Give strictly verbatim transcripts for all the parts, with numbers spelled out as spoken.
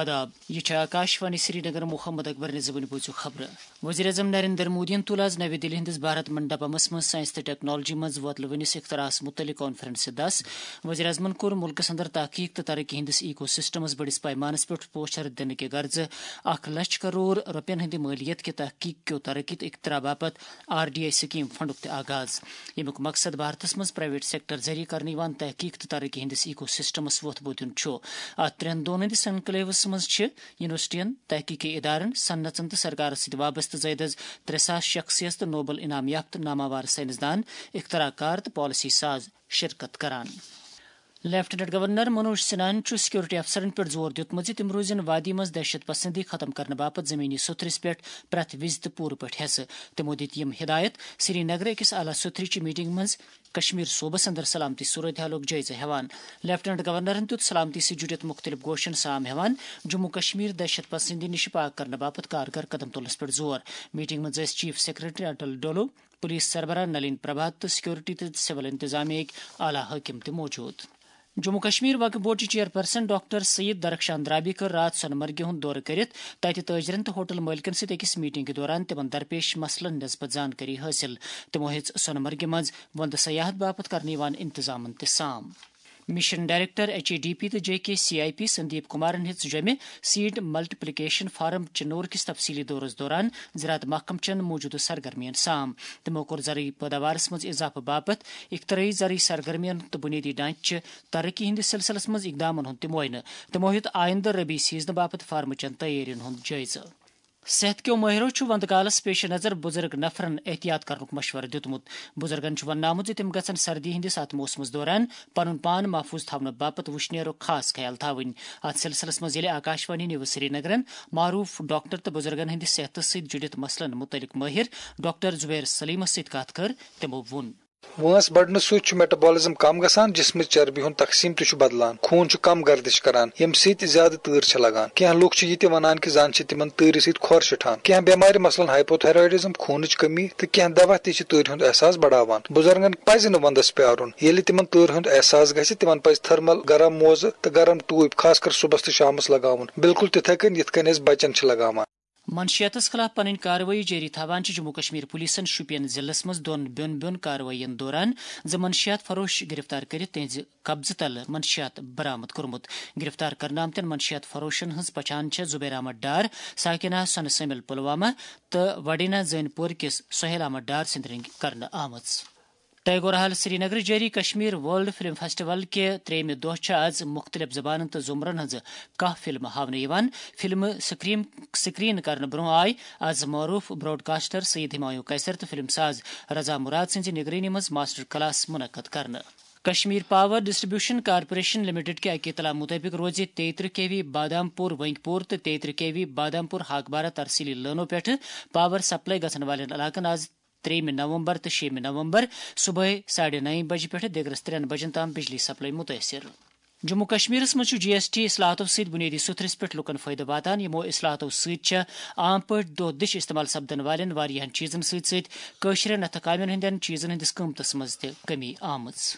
آداب، یہِ چھِ آکاشوانی سرینگر۔ محمد اکبر نظامٕنۍ بوٗزِو خبرٕ۔ وزیر اعظم نریندر مودیَن تُل آز نَوِ دِلہِ ہٕنٛدِس بھارت منڈپمس منٛز ساینس تہٕ ٹیکنالوجی منٛز وۄتلہٕ وٕنِس اختراعس مُتعلق کانفرنسہِ دَس۔ وزیر اعظمَن کوٚر مُلکَس اندر تحقیق تہٕ ترقی ہٕنٛدِس ایکو سسٹمس بٔڑِس پیمانس پٮ۪ٹھ پوچھر دِنہٕ کہِ غرضہٕ اکھ لچھ کرور رۄپین ہٕنٛدِ مٲلیت کہِ تحقیق کیو ترقی تہٕ اختراع باپتھ آر ڈی آئی سکیم فنڈُک تہِ آغاز، ییٚمیُک مقصد بھارتس منٛز پرائیویٹ سیکٹر ذٔریعہٕ کرنہٕ یِوان تحقیق تہٕ ترقی ہٕنٛدِس ایکو سسٹمس وۄتھ بوٚد دیُن چھُ۔ اتھ ترٛٮ۪ن دۄہن ہٕنٛدِس انکلیوس منٛز چھِ یونیورسٹین، تحقیقی ادارن، صنعتن تہٕ سرکارس سۭتۍ وابستہٕ زٲیدٕ از ترٛےٚ ساس شخصیت تہٕ نوبل انعام یافتہٕ ناماوار سائنسدان، اختراع کار تہٕ پالیسی ساز شرکت کران۔ لیفٹیننٹ گورنر منوج سنہاہن چھُ سیکورٹی افسرن پٮ۪ٹھ زور دیُتمُت زِ تِم روزن وادی منٛز دہشت پسندی ختم کرنہٕ باپتھ زمینی سوٚتھرِس پٮ۪ٹھ پرٛٮ۪تھ وِزِ تہٕ پوٗرٕ پٲٹھۍ حصہٕ۔ تِمو دِتۍ یِم ہدایت سری نگرٕ أکِس اعلیٰ سوٚتھرِ چہِ میٹنگ منٛز کشمیر صوبس اندر سلامتی صورتحالُک جٲیزٕ ہٮ۪وان۔ لیفٹیننٹ گورنرن دیُت سلامتی سۭتۍ جُڑِتھ مُختٔلِف گوشن سام ہٮ۪وان جموں کشمیر دہشت پسندی نِش پاک کرنہٕ باپتھ کارگر قدم تُلنس پٮ۪ٹھ زور۔ میٹنگ منٛز ٲسۍ چیف سیکرٹری اٹل ڈولو، پولیس سربراہ نلین پربھات تہٕ سیکورٹی تہٕ سول انتظامیہ ہٕکۍ اعلیٰ حٲکم تہِ موجود۔ جموں کشمیر وقف بورڈ چہِ چیئرپرسن ڈاکٹر سید درخشان درابی کٔر راتھ سۄنہٕ مرگہِ ہُنٛد دورٕ کٔرِتھ تتہِ تٲجرن تہٕ ہوٹل مٲلکن سۭتۍ أکِس میٹنگ دوران تِمن درپیش مسلن نسبت زانکٲری حٲصِل۔ تِمو ہیٚژ سۄنہٕ مرگہِ منٛز وۄندٕ سیاحت باپتھ کرنہٕ یِوان انتظامن تہِ سام۔ Mission director H A D P تہٕ J K C I P Sandeep کمارن ہیٚژ جوٚمہِ سیڈ ملٹیپلیکیشن فارم چنور کِس تفصیلی دورس دوران زراعت محکمہٕ چٮ۪ن موجودٕ سرگرمین سام۔ تِمو کوٚر زرعی پٲداوارس منٛز اضافہٕ باپتھ اختراعی زرعی سرگرمین تہٕ بنیٲدی ڈھانچہٕ چہِ ترقی ہٕنٛدِس سلسلس منٛز اقدامن ہُنٛد تہِ معائنہٕ۔ تِمو ہیوٚت آئندٕ ربیع سیزنہٕ باپتھ فارمہٕ چٮ۪ن تیٲرین ہُنٛد جٲیزٕ۔ صحت کیو مٲہرو چھُ وندٕ کالس پیش نظر بُزرگ نفرن احتیاط کرنُک مشورٕ دیُتمُت۔ بُزرگن چھُ وننہٕ آمُت زِ تِم گژھن سردی ہٕنٛدِس اتھ موسمس دوران پنُن پان محفوظ تھاونہٕ باپتھ وُشنیرُک خاص خیال تھاوٕنۍ۔ اتھ سلسلس منٛز ییٚلہِ آکاشوانی نیوز سرینگرن معروف ڈاکٹر تہٕ بُزرگن ہٕنٛدِ صحتس سۭتۍ جُڑِتھ مسلن مُتعلق مٲہر ڈاکٹر زبیر سلیمس سۭتۍ کتھ کٔر، تِمو ووٚن۔ وٲنٛس بڑنہٕ سۭتۍ چھُ میٹابولزم کم گژھان، جسمٕچ چربی ہُنٛد تقسیٖم تہِ چھُ بدلان، خوٗن چھُ کم گردش کران، ییٚمہِ سۭتۍ زیادٕ تۭر چھِ لگان۔ کینٛہہ لُکھ چھِ یہِ تہِ ونان کہِ زن چھِ تِمن تۭرِ سۭتۍ کھۄر شِٹھان۔ کینٛہہ بٮ۪مارِ، مثلاً ہائپوتھائرائیڈزم، خوٗنٕچ کمی، تہٕ کینٛہہ دوا تہِ چھِ تۭرِ ہُنٛد احساس بڑاوان۔ بُزرگن پزِ نہٕ ونٛدس پیارُن۔ ییٚلہِ تِمن تۭرِ ہُنٛد احساس گژھِ، تِمن پزِ تھرمل گرم موزٕ تہٕ گرم ٹوٗپۍ، خاص کر صُبحس تہٕ شامس لگاوُن، بالکل تِتھے کٔنۍ یِتھ کٔنۍ أسۍ بچن چھِ لگاوان۔ منشیاتس خلاف پنٕنۍ کاروٲیی جٲری تھاوان چھِ جموں کشمیر پُلیٖسن شوپین ضلعس منٛز دۄن بیوٚن بیوٚن کاروٲیین دوران زٕ منشیات فروش گرفتار کٔرِتھ تِہنٛزِ قبضہٕ تلہٕ منشیات برآمد کوٚرمُت۔ گرفتار کرنہٕ آمتٮ۪ن منشیات فروشن ہٕنٛز پہچان چھےٚ زبیر احمد ڈار، ساکن آحسن سمل پلوامہ تہٕ وڈینا زٲنۍ پورٕ کِس سہیل احمد ڈار سٕنٛدِ رٔنٛگۍ کرنہٕ آمٕژ۔ ٹیگور ہال سرینگر جٲری کشمیر ورلڈ فلم فیسٹیول کہِ ترٛیٚیمہِ دۄہ چھِ آز مُختٔلِف زبانن تہٕ زمرن ہٕنٛزٕ کاہ فلمہٕ ہاونہٕ یِوان۔ فلمہٕ سکرین، سکرین کرنہٕ برٛونٛہہ آیہِ از معروف براڈکاسٹر سید ہمایوں قیصر تہٕ فلم ساز رضا مراد سٕنٛزِ نگرٲنی منٛز ماسٹر کلاس منعقد کرنہٕ۔ Kashmir power distribution corporation limited کہِ اکہِ اطلاع مُطٲبِق روزِ تیترہ کے وی بادام پور ونگپور تہٕ تیترہ کے وی بادام پور ہاکبارہ ترسیلی لٲنو پٮ۪ٹھٕ پاور سپلائی گژھن والٮ۪ن علاقن از ترٛیٚیمہِ نومبر تہٕ شیٚیمہِ نومبر صبحٲے ساڑِ نَیہِ بجہِ پٮ۪ٹھٕ دِگرس ترٛٮ۪ن بجن تام بجلی سپلائی مُتٲثِر۔ جموں کشمیرس منٛز چھُ جی ایس ٹی اصلاحاتو سۭتۍ بنیٲدی سوٚتھرِس پٮ۪ٹھ لوٗکن فٲیدٕ واتان۔ یِمو اصلاحاتو سۭتۍ چھےٚ عام پٲٹھۍ دۄہ دِش استعمال سپدن والٮ۪ن واریاہن چیزن سۭتۍ سۭتۍ کٲشرٮ۪ن اَتھٕ کامٮ۪ن ہٕنٛدٮ۪ن چیزن ہٕنٛدِس قۭمتس منٛز تہِ کمی آمٕژ۔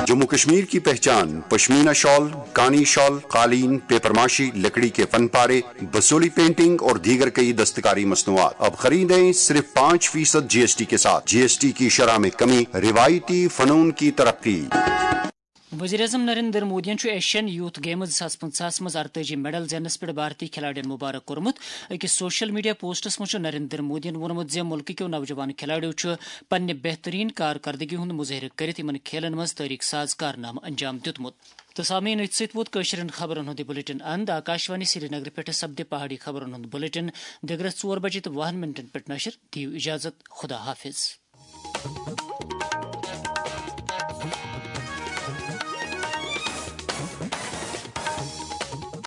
جموں کشمیر کی پہچان، پشمینہ شال، کانی شال، قالین، پیپر ماشی، لکڑی کے فن پارے، بسولی پینٹنگ اور دیگر کئی دستکاری مصنوعات۔ اب خریدیں صرف پانچ فیصد جی ایس ٹی کے ساتھ۔ جی ایس ٹی کی شرح میں کمی، روایتی فنون کی ترقی۔ وزیر اعظم نریندر مودیَن چھُ ایشین یوتھ گیمز زٕ ساس پٕنٛژٕہَس منٛز ارتٲجی میڈل زیننس پٮ۪ٹھ بھارتی کھلاڑین مبارک کوٚرمُت۔ أکِس سوشل میڈیا پوسٹس منٛز چھُ نریندر مودیَن ووٚنمُت زِ مُلکہٕ کیو نوجوان کھلاڑیو چھُ پننہِ بہترین کارکردگی ہُنٛد مظٲہرٕ کٔرِتھ یِمن کھیلن منٛز تٲریخ ساز کارنامہٕ انجام دیُتمُت۔ تہٕ سامعین، أتھۍ سۭتۍ ووت کٲشرٮ۪ن خبرن ہُنٛد یہِ بُلٹن اند۔ آکاشوانی سرینگرٕ پٮ۪ٹھٕ سپدِ پہاڑی خبرن ہُنٛد بُلٹن دِگرس ژور بجے تہٕ وُہن منٹن پٮ۪ٹھ نشر۔ دِیِو اجازت، خدا حافظ۔